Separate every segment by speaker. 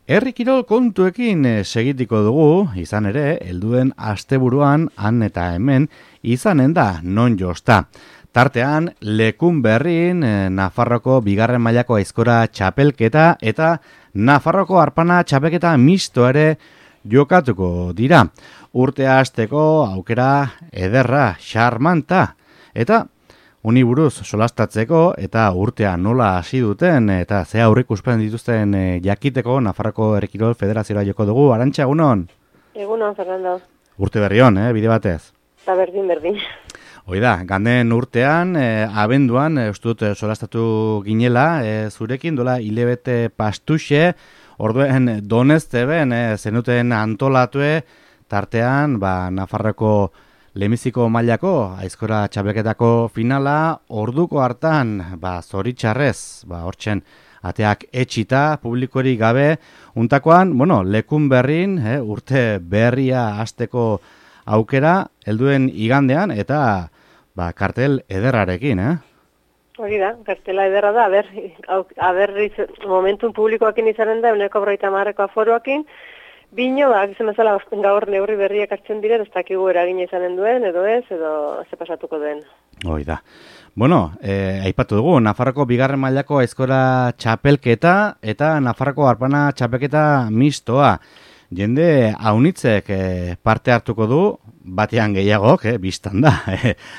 Speaker 1: Herri kirol kontuekin segitiko dugu, izan ere, helduen asteburuan han eta hemen izanen da non josta. Tartean, Lekun Berrin, Nafarroko bigarren mailako aizkora txapelketa eta Nafarroko arpana txapelketa misto ere jokatuko dira. Urtea hasteko aukera ederra, xarmanta, eta Uni buruz solastatzeko eta urtea nola hasi duten eta ze aurreikuspen dituzten jakiteko Nafarroko Herri Kirol Federazioa joko dugu. Arantxa, egunon?
Speaker 2: Egunon, Fernando.
Speaker 1: Urte berri on, bide batez.
Speaker 2: Eta berdin.
Speaker 1: Hoi da, ganden urtean, abenduan, uste dut solastatu ginela, zurekin dola hilebete pastuxe, orduen donezteben, zenuten antolatue, tartean, Nafarroko Lemiziko mailako aizkora txapelketako finala orduko hartan zoritxarrez, hortzen ateak etxita, publikorik gabe, untakoan, Lekun Berrin, urte berria hasteko aukera, helduen igandean, eta kartel ederrarekin,
Speaker 2: Hori da, kartela ederra da, momentun publikoakin izanen da, 150 aforoakin, Bino, gizan bezala gaur neurri berriak hartzen diren, ez dakigu eragina izanen duen, edo ez, edo ze pasatuko duen.
Speaker 1: Hoi da. Aipatu dugu, Nafarroko bigarren mailako aizkora txapelketa eta Nafarroko arpana txapelketa mistoa. Jende haunitzek parte hartuko du, batean gehiagok, biztan da,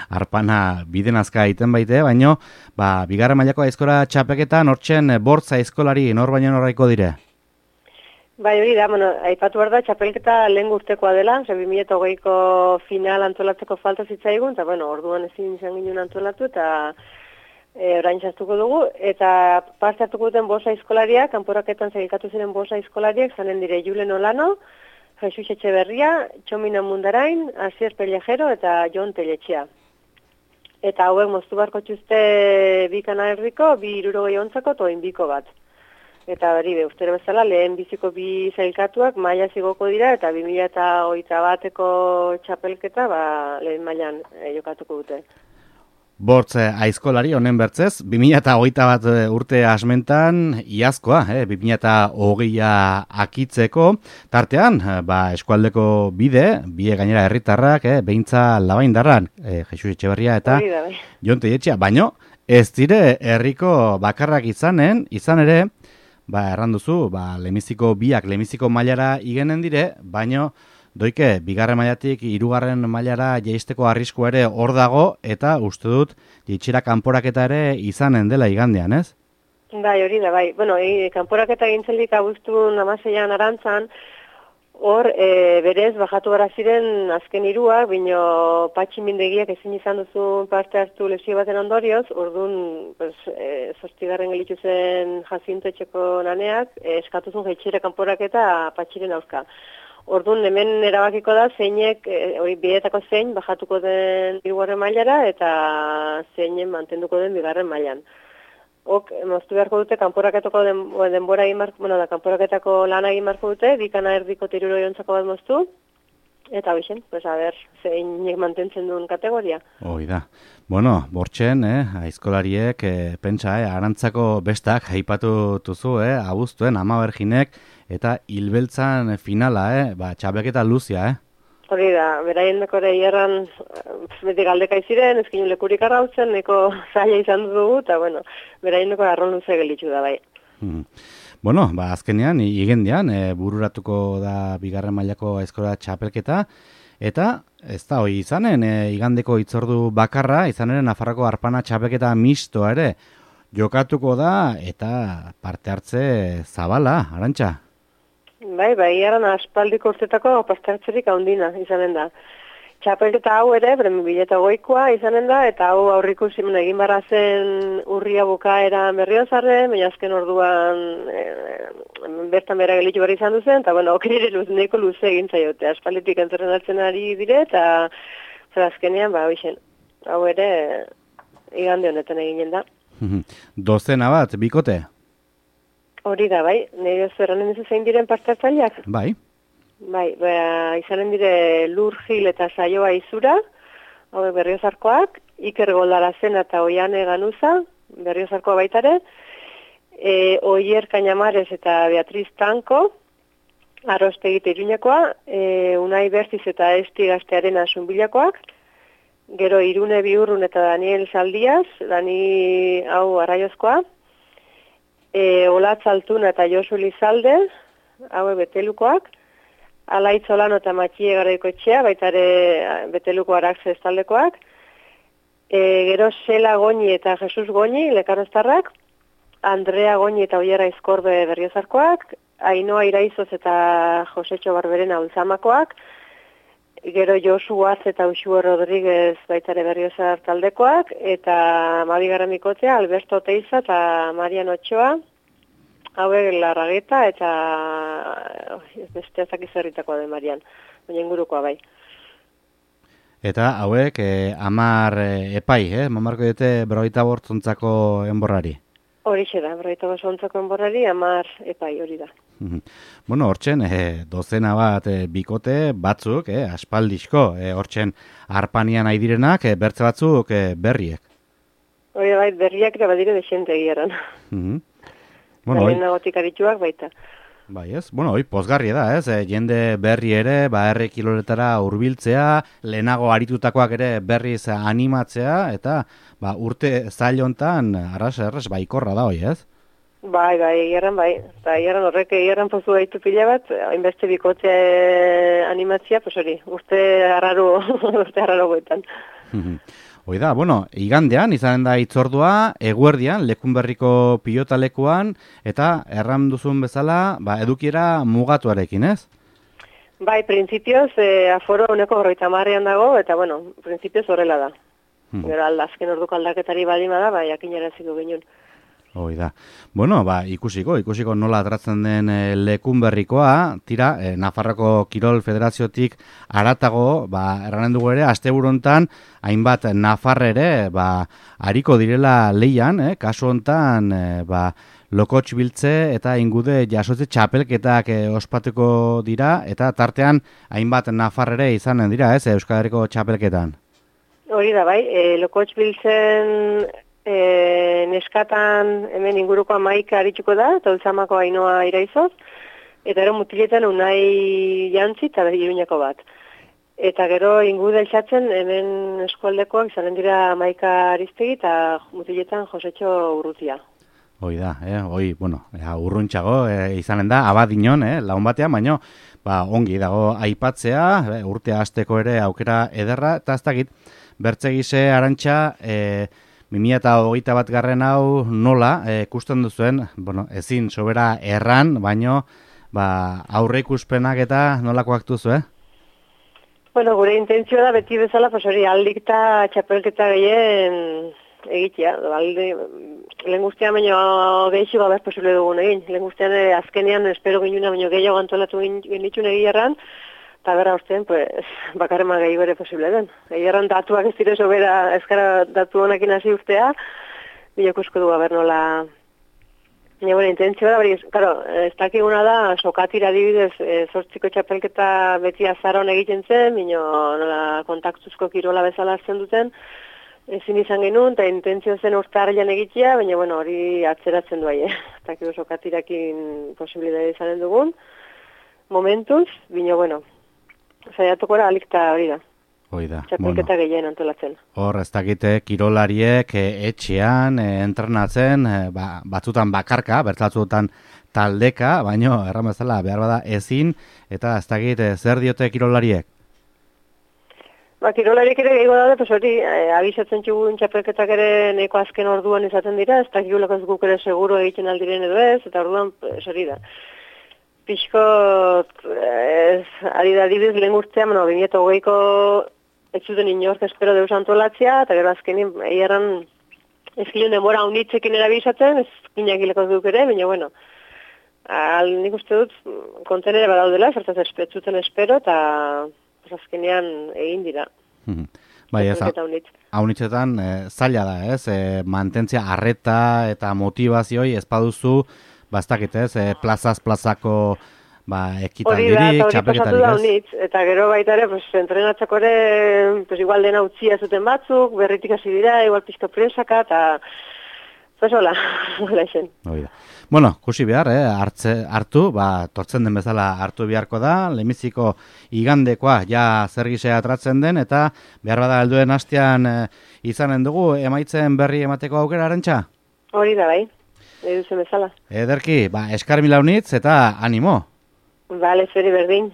Speaker 1: arpana biden azka egiten baite, baino, bigarren mailako aizkora txapelketa nortzen bortza aizkolari nor baino norraiko dire?
Speaker 2: Bai, hori da, aipatu behar da, txapelketa lehen urtekoa dela, 2008ko final antolatzeko falta zitzaigun, eta orduan ezin izan ginen antolatu, eta orain txastuko dugu, eta parte hartuko duten bosa aizkolariak, kanporaketan zailkatu ziren bosa aizkolariak, zanen dire Julen Olano, Jesus Etxeberria, Txomina Mundarain, Asier Pellejero eta Jon Telletxea. Eta hauek moztu barko txuzte bikana erdiko, 260 ontzako, toin biko bat. Eta hori, ustero bezala, lehen biziko bi zailkatuak maila zigoko dira, eta 2021ko txapelketa lehen mailan jokatuko dute.
Speaker 1: Bortz aizkolari honen bertzez, 2021 urte asmentan iazkoa, 2020a akitzeko, tartean, eskualdeko bide gainera herritarrak, behintza labaindarran, Jesus Etxeberria eta Jon Telletxea, baino, ez dire herriko bakarrak izan ere, erran duzu, Lemiziko mailara igenen dire, baino, doike, bigarren mailatik hirugarren mailara jaisteko arrisku ere hor dago, eta uste dut, jaitxera kanporaketa ere izanen dela igandean, ez?
Speaker 2: Bai, hori da, bai. Kanporaketa gintzelik abuztun 16an Arantzan, hor, berez, bajatu gara ziren azken hiruak, bino patximindegiak ezin izan duzu parte hartu lesio baten ondorioz, orduan, zortzigarren gelitzu zen Jacinto etxeko naneak, eskatuzun jaitxera kanporaketa patxiren aurka. Orduan, hemen erabakiko da, zeinek, bietako zein, bajatuko den hirugarren mailara, eta zeinen mantenduko den bigarren mailan. Moztu beharko dute, kanporaketako denbora egin kanporaketako lana egin beharko dute, bikana erdiko tiruro jontzako bat moztu, eta hoxen, zeinek mantentzen duen kategoria.
Speaker 1: Hoi da. Bortxen, aizkolariek, pentsa, Arantzako bestak, haipatu tuzu, abuztuen, ama berginek, eta hilbeltzan finala, txapelketa luzia,
Speaker 2: Hori da, beraien dekore hierran beti galdeka iziren, ezkin lekurik arrautzen, neko zaila izan dugu, eta beraien dekore arron luze gelitzu da, bai.
Speaker 1: Azkenean, igendean, bururatuko da bigarren mailako aizkora txapelketa, eta ez da hori izanen, igandeko hitzordu bakarra, izanen Nafarroko arpana txapelketa misto ere, jokatuko da, eta parte hartze zabala, Arantxa?
Speaker 2: Bai, iaran aspaldiko urtetako parte hartzerik handina izanen da. Txapelketa hau ere, 2008koa izanen da, eta hau aurriku egin barra zen urria bukaera Berriozarren, baina azken orduan bertan bera gelitu barri izan duzen, eta okere neko luze egin zaiote. Aspalditik entrenatzen ari dire, eta azkenean, hau ere igande honetan eginen da.
Speaker 1: Dozena bat, bikote?
Speaker 2: Hori da, bai. Nire zerranen ez zein diren parte hartzaileak?
Speaker 1: Bai.
Speaker 2: Bai, izanen dire Lur Gil eta Saioa Izura, Berriozarkoak, Iker Goldarazen eta Oiane Ganuza, Berriozarkoa baitare, Oier Cañamares eta Beatriz Tanko, Arostegite Iruñakoa, Unai Bertiz eta Esti Gaztearen Zunbilakoak, gero Irune Biurrun eta Daniel Saldiaz, Dani hau Arraiozkoa, Olatz Altuna eta Josu Lizalde, hau Betelukoak, Alaitz Olano eta Matxie Garaikoetxea, baita ere Beteluko Araxe estaldekoak, gero Sela Goñi eta Jesus Goñi, Lekaroztarrak, Andrea Goñi eta Oier Aizkorbe Berriozarkoak, Ainoa Iraizoz eta Josetxo Barberena Ultzamakoak, gero JosuAz eta Uxue Rodríguez baitare Berriozar taldekoak, eta Mabigarren Bikotea, Alberto Teiza eta Marian Otxoa, hauek Larrageta eta beste ezakizerritakoa den Marian, baina ingurukoa bai.
Speaker 1: Eta hauek 10 epai, mamarko dute 45 enborrari.
Speaker 2: Horixe da, 45 enborrari 10 epai hori da.
Speaker 1: Bueno, hortzen, dozena bat bikote batzuk, aspaldizko, hortzen arpanian nahi direnak, bertze batzuk berriek.
Speaker 2: Hori bai, berriak ere badire desente egiaran.
Speaker 1: Bueno,
Speaker 2: nagotik arituak baita.
Speaker 1: Bai, ez? Bueno, hoi pozgarria da, ez? Jende berri ere, herri kiloletara hurbiltzea, lehenago aritutakoak ere berriz animatzea, eta urte zail hontan arras baikorra da hoi, ez?
Speaker 2: Bai, egiarran bai. Eta egiarran horrek egiarran pozu gaitu pila bat, hainbeste bikote animatzia, pues hori, urte arraro goetan.
Speaker 1: Hoi da, bueno, igandean izanen da itzordua, eguerdian, Lekunberriko pilotalekuan, eta erran duzun bezala, edukiera mugatuarekin, ez?
Speaker 2: Bai, printzipioz, aforo uneko 50 dago, eta bueno, printzipioz horrela da. Gero azken orduko aldaketari balima da, jakinaratziko ginen.
Speaker 1: Hoi da. Bueno, ikusiko nola atratzen den Lekunberrikoa, tira, Nafarroko Kirol Federaziotik aratago, erranen dugu ere, asteburu hontan, hainbat Nafarrere, ariko direla leian, kasu hontan, lokotx biltze eta ingude jasotze txapelketak ospatuko dira, eta tartean hainbat Nafarrere izanen dira, Euskal Herriko txapelketan.
Speaker 2: Hori da, bai, lokotx biltzen neskatan hemen inguruko 11 arituko da, eta Ultzamako Ainoa Iraizoz, eta gero mutiletan Unai Jantzi eta Iruñako bat. Eta gero ingude eltsatzen hemen eskualdekoak izanen dira 11 Aristegi eta mutiletan Josetxo Urrutia.
Speaker 1: Hoi da, urruntxago izanen da, abadinon, laun batean, baino, ongi dago aipatzea, urtea hasteko ere aukera ederra, eta ez dakit, bertzegize Arantxa, 2021 hau nola ikusten duzuen, ezin sobera erran, baino aurre ikuspenak eta nolakoak duzu,
Speaker 2: Bueno, gure intentzioa da beti bezala, hori aldik eta txapelketa gehien egitea. Lehen guztian baino gehiago gabez posible dugun egin. Lehen guztian azkenean espero ginuna baino gehiago antolatu genitxun egierran, eta berra ustean, bakarrema gehiago ere posible den. Egierran datuak ez dire sobera ezkara datu honekin hasi urtea, bilokusko du gaber nola. Baina, intentzioa da, claro, ez dakiguna da, sokatira adibidez, zortziko txapelketa beti azaron egiten zen, bino nola kontaktuzko kirola bezala hartzen duten, ezin izan genuen, eta intentzio zen urtarrian egitea, baina, hori atzeratzen du aie. Ez dakigu sokatirakin posibilidade izanen dugun, momentuz, bino, zaiatuko da alikta hori da.
Speaker 1: Hoi da.
Speaker 2: Txapelketa gehien antolatzen.
Speaker 1: Hor, ez dakite kirolariek etxean entrenatzen, batzutan bakarka, bertzatzutan taldeka, baino, erran bezala, behar bada ezin, eta ez dakite zer diote kirolariek?
Speaker 2: Kirolariek ere gehiago daude, hori, abisatzen txugun txapelketak ere neko azken orduan izaten dira, ez dakigulako ez guk ere seguro egiten aldiren edo ez, eta orduan, hori da. Pixko, ari da adibidez lehen urtean, 2008ko ez zuten inork espero deus antolatzea, eta gero azkenin egeran ez gilun demora unitzekin erabizatzen, ez ginakileko duk ere, baina, nik uste dut kontenere badaudela, zertaz ez zuten espero, eta azkenean egin dira.
Speaker 1: Bai, ez, haunitzetan zaila da, ez, mantentzia arreta eta motivazioi ez baduzu, bastakit ez, plazaz-plazako ekitaldirik, txapelketarik ez.
Speaker 2: Eta gero baita ere, entrenatzako ere, igual dena utzia zuten batzuk, berritik hasi dira, igual pizko presaka, eta Pues hola, hola zen.
Speaker 1: Bueno, kusi behar, hartu, tortzen den bezala hartu beharko da, lemiziko igandekoa ja zer gisea atratzen den, eta behar bada helduen hastean izanen dugu, emaitzen berri emateko aukera arantxa?
Speaker 2: Hori da, bai, eduzen bezala.
Speaker 1: Ederki, eskar mila unitz eta animo.
Speaker 2: Bale, zuri berdin.